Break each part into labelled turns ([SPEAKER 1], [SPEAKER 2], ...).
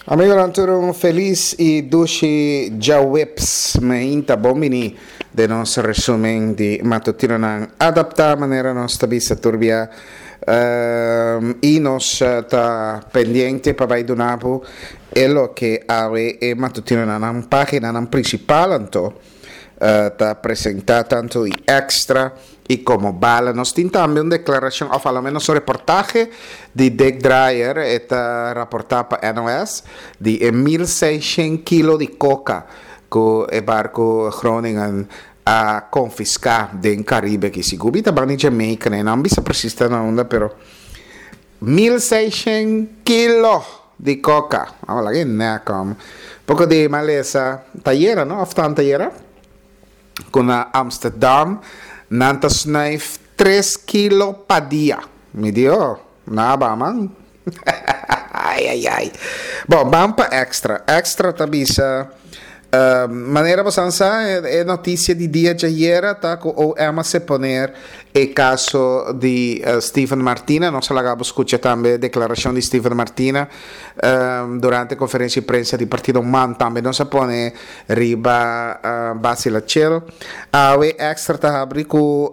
[SPEAKER 1] Amigonan tur un felis y dushi djaweps meinta bon bini den nos resumen di matutinonan adapta manera nos ta bisa tur bia y nos ta pendiente pa bay duna bo e loke awe e matutinonan nan paginanan principal anto ta presenta tanto y extra y como bala. Nos tin tambe un declaracion of a lo menos un reportahe di Dick Drayer, e ta raporta pa NOS, di e 1600 kilo di coca cu e barco Groningen a confisca den Caribe aki. Sigur mi ta ban di Jamaica, no a bisa precies ta na unda, pero 1600 kilo di coca. Amo laga e nek om. Poco di malesa ta yera, no? Of tan ta yera? Cu na Amsterdam nan ta snuif tres kilo pa dia. Mi di, oh, naba man. Ay, ay, ay. Bon, ban pa Extra. Extra ta bisa, manera bosan sa, e noticia di dia djayera ta cu OM a seponer e caso di Steven Martina. Nos a laga bo scucha tambe declaracion di Steven Martina durante conferencia di prensa di partido man. Tambe nos a pone riba Basila Chel. Awe Extra ta habri cu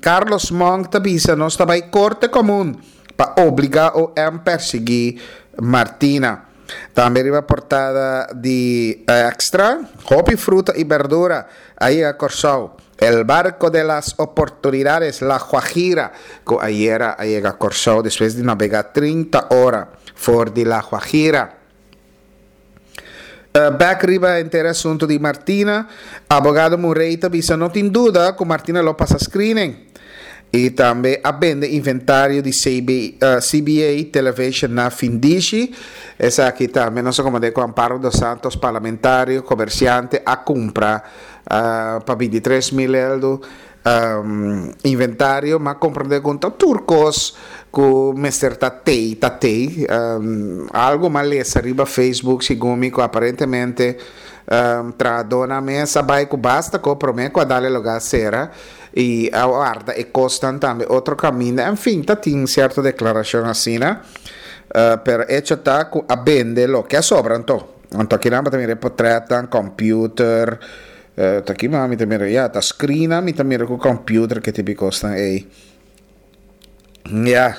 [SPEAKER 1] Carlos Monk ta bisa nos ta bay Corte Comun pa obliga OM persigui Martina. Tambe riba portada di Extra, hopi fruta y berdura a yega Corsou. El barco de las oportunidades, La Guajira, cu ayera a yega Corsou despues di nabega 30 ora for di La Guajira. Bek riba henter e asunto di Martina, abogado Murray ta bisa no tin duda cu Martina lo pasa screening. Y tambe a bende inventario di CBA Television na Findishi. Esaki tambe nos a komand'é ku Amparo dos Santos, parlamentario, komersiante, a kumpra pa 23 mil eldo inventario. M'a komprendé ku ta tur kos ku mester ta tei ta tei. Algu m'a lesa riba Facebook segun mi ku aparentemente trahadónan mes a bai ku basta ko promé ku a dal e lugá sera. Y a warda e cosnan tambe otro caminda. En fin, ta tin cierto declaracion asina. Pero hecho ta cu a bende loke a sobra anto. Anto akinan bo ta mira e potretnan, computer. Ta aki mi ta mira, ya, ta screennan mi ta mira cu computer ke tipo di cosnan ey. Ya,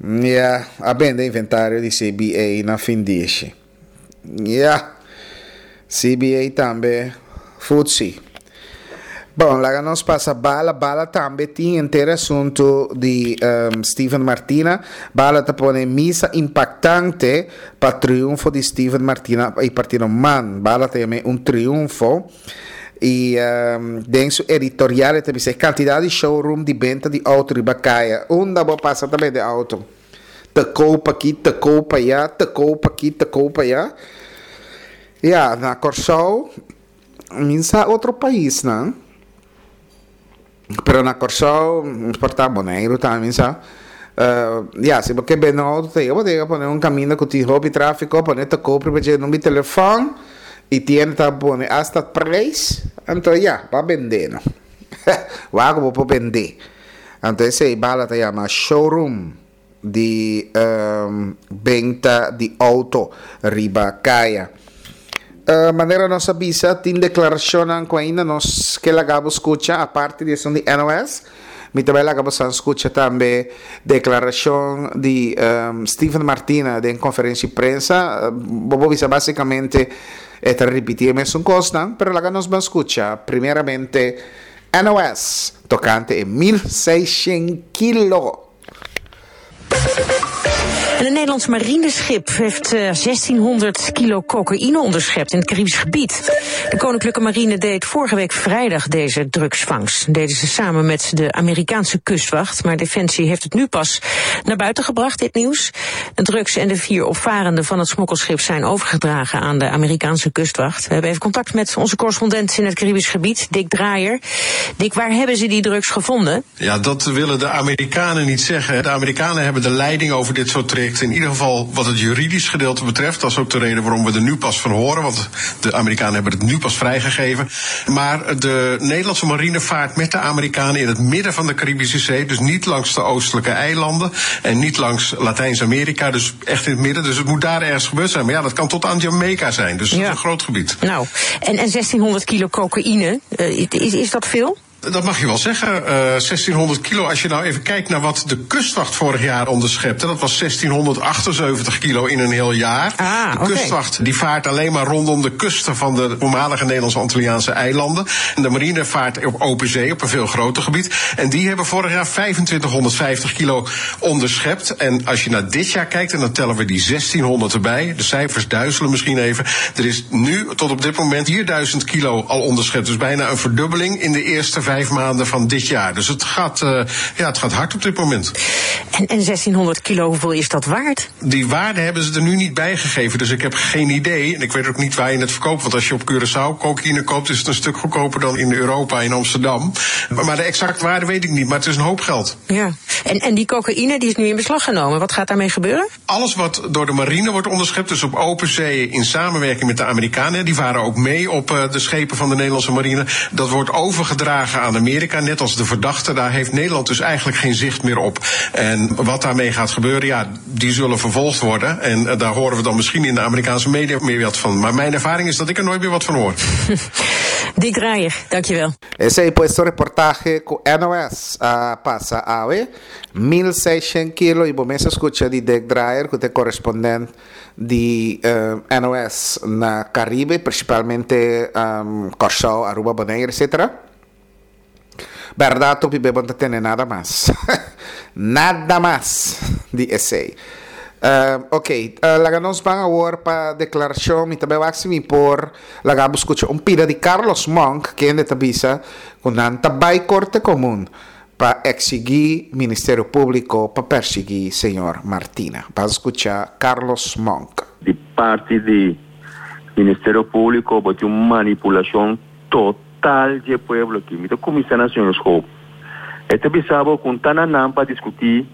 [SPEAKER 1] ya, a bende inventario di CBA na fin dishi. Ya. CBA tambe futsi. Bon, laga nos pasa Bala. Bala tambe tin henter asuntu di um, Steven Martina. Bala ta pone misa impactante pa triunfo di Steven Martina y Partido Man. Bala ta yam'é un triunfo. Y um, den su editorial e ta bisa e cantidad di showroom di benta di auto riba caya. Unda bo pasa ta bende auto. Te koop aki, te koop aya, te koop aki, te koop aya. Ya, na Kòrsou, mi sa otro paisnan, pero na Kòrsou, por ta Boneiru tambe mi sa, ya, si bo ke bende un outo te bo tin ke pone un kaminda ku tin hopi tráfiko, pone te koop riba dje number di telefòn, i tienda ta pone asta preis, anto ya, bo a bende no. Wak ku bo por bende. Anto esei bala ta yama showroom di benta di auto riba kaya. Manera nos a bisa tin deklarashonnan ku ainda nos ke laga bo skucha aparte di esun di NOS. Mi ta bai laga bo san skucha tambe deklarashon di Steven Martina den konferensia di prensa. Bo por bisa basikamente e ta ripiti e mesun kosnan, pero laga nos ban skucha primeramente NOS tokante e 1600 kilo.
[SPEAKER 2] En een Nederlands marineschip heeft 1600 kilo cocaïne onderschept in het Caribisch gebied. De Koninklijke Marine deed vorige week vrijdag deze drugsvangst. Dat deden ze samen met de Amerikaanse kustwacht. Maar Defensie heeft het nu pas naar buiten gebracht, dit nieuws. De drugs en de vier opvarenden van het smokkelschip zijn overgedragen aan de Amerikaanse kustwacht. We hebben even contact met onze correspondent in het Caribisch gebied, Dick Draaier. Dick, waar hebben ze die drugs gevonden?
[SPEAKER 3] Ja, dat willen de Amerikanen niet zeggen. De Amerikanen hebben de leiding over dit soort gelekt. In ieder geval wat het juridisch gedeelte betreft. Dat is ook de reden waarom we er nu pas van horen. Want de Amerikanen hebben het nu pas vrijgegeven. Maar de Nederlandse marine vaart met de Amerikanen in het midden van de Caribische Zee. Dus niet langs de oostelijke eilanden en niet langs Latijns-Amerika. Dus echt in het midden. Dus het moet daar ergens gebeurd zijn. Maar ja, dat kan tot aan Jamaica zijn. Dus dat is een groot gebied.
[SPEAKER 2] Nou, en 1600 kilo cocaïne, is dat veel?
[SPEAKER 3] Dat mag je wel zeggen. 1600 kilo. Als je nou even kijkt naar wat de kustwacht vorig jaar onderschepte. Dat was 1678 kilo in een heel jaar.
[SPEAKER 2] Ah,
[SPEAKER 3] de kustwacht die vaart alleen maar rondom de kusten van de voormalige Nederlandse Antilliaanse eilanden. En de marine vaart op open zee, op een veel groter gebied. En die hebben vorig jaar 2550 kilo onderschept. En als je naar dit jaar kijkt, en dan tellen we die 1600 erbij. De cijfers duizelen misschien even. Er is nu tot op dit moment 4000 kilo al onderschept. Dus bijna een verdubbeling in de eerste 5 maanden van dit jaar. Dus ja, het gaat hard op dit moment.
[SPEAKER 2] En 1600 kilo, hoeveel is dat waard?
[SPEAKER 3] Die waarde hebben ze er nu niet bij gegeven. Dus ik heb geen idee. En ik weet ook niet waar je het verkoopt. Want als je op Curaçao cocaïne koopt, is het een stuk goedkoper dan in Europa, in Amsterdam. Maar de exacte waarde weet ik niet. Maar het is een hoop geld.
[SPEAKER 2] Ja. En die cocaïne die is nu in beslag genomen. Wat gaat daarmee gebeuren?
[SPEAKER 3] Alles wat door de marine wordt onderschept, dus op open zee in samenwerking met de Amerikanen, die varen ook mee op de schepen van de Nederlandse marine. Dat wordt overgedragen aan Amerika, net als de verdachte. Daar heeft Nederland dus eigenlijk geen zicht meer op. En wat daarmee gaat gebeuren, ja, die zullen vervolgd worden. En daar horen we dan misschien in de Amerikaanse media meer wat van. Maar mijn ervaring is dat ik er nooit meer wat van hoor.
[SPEAKER 2] Dick Draaier, dankjewel.
[SPEAKER 1] Esei pues un reportahe ku NOS a pasa awe. 1600 kilo i bo mes a skucha di Dick Draaier ku ta e korespondent di NOS na Caribe, principalmente Kòrsou, Aruba, Bonaire, etc. Bèrdat hopi be bo no ta tende nada mas. Nada mas di esei. Ok, laga nos ban awor pa deklarashon. Mi ta bai wak si mi por laga bo skucha un pida di Carlos Monk, kende ta bisa ku nan ta bai Korte Komun pa eksigí Ministerio Públiko pa persiguí señor Martina. Ban skucha Carlos Monk.
[SPEAKER 4] Di parti di Ministerio Públiko bo tin un manipulashon total dje pueblo aki. Mi ta kuminsá na señor Schoop. E ta bisa bo ku ta na nan pa diskutí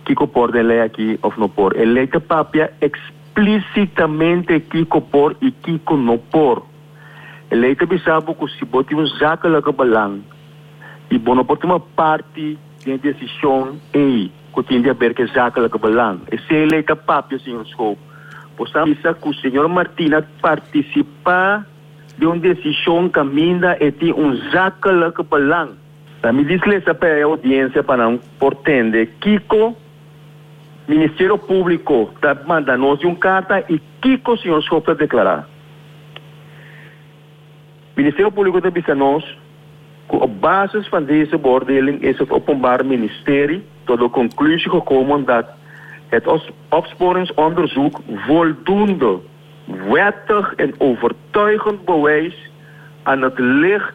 [SPEAKER 4] kiko por den lei aki òf no por. E lei ta papia eksplísitamente kiko por i kiko no por. E lei ta bisa bo ku si bo tin un zakelijke belang i bo no por tuma parti den e desishon ei ku tin di haber ku e zakelijke belang. Esei lei ta papia, señor Schoop. Bo sa bisa ku señor Martina partisipá den un desishon kaminda e tin un zakelijke belang. Na mi dis lesa pa e oudiensia pa nan por tende kiko Ministerio Públiko ta manda nos di un karta i kiko señor Schoop ta deklará. Ministerio Públiko ta bisa nos ku op basis van deze beoordeling is het Openbaar Ministerie tot de conclusie gekomen dat het opsporingsonderzoek voldoende wettig en overtuigend bewijs aan het licht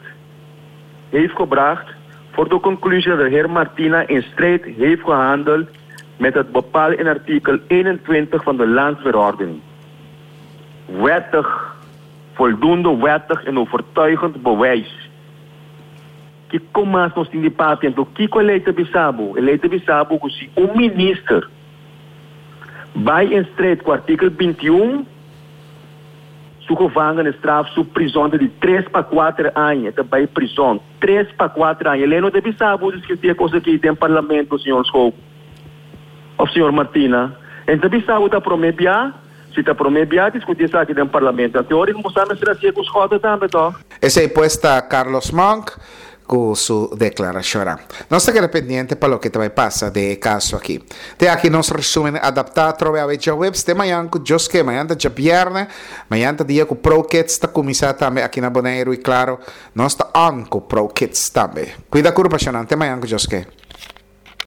[SPEAKER 4] heeft gebracht voor de conclusie dat de heer Martina in strijd heeft gehandeld met het bepaald in artikel 21 van de landsverordening. Wettig, voldoende wettig en overtuigend bewijs. Kiko mas nos tin di papia? Anto kiko e lei ta bisa bo? E lei ta bisa bo ku si un minister bai in strijd ku artikel 21, su gevangenisstraf, su prizon ta di tres pa kuater aña. E ta bai prizon tres pa kuater aña. E lei no ta bisa bo diskutí e kos aki den parlamento, señor Schoop òf señor Martina. E ta bisa bo ta promé bia. Si ta promé bia diskutí esaki den parlamento, anto ora ku sa mester hasié ku Schotte tambe tòg?
[SPEAKER 1] Esei pues ta Carlos Monk ku su deklarashonnan. Nos ta keda pendiente pa loke ta bai pasa den e kaso aki. Te aki nos resumen adaptá atrobe awe djaweps te mañan ku Dios ke. Mañan ta djabièrnè, mañan ta dia ku Pro Kids ta kuminsá tambe aki na Boneiru i klaro nos ta on ku Pro Kids tambe. Kuida kurpa shonnan te mañan ku Dios ke.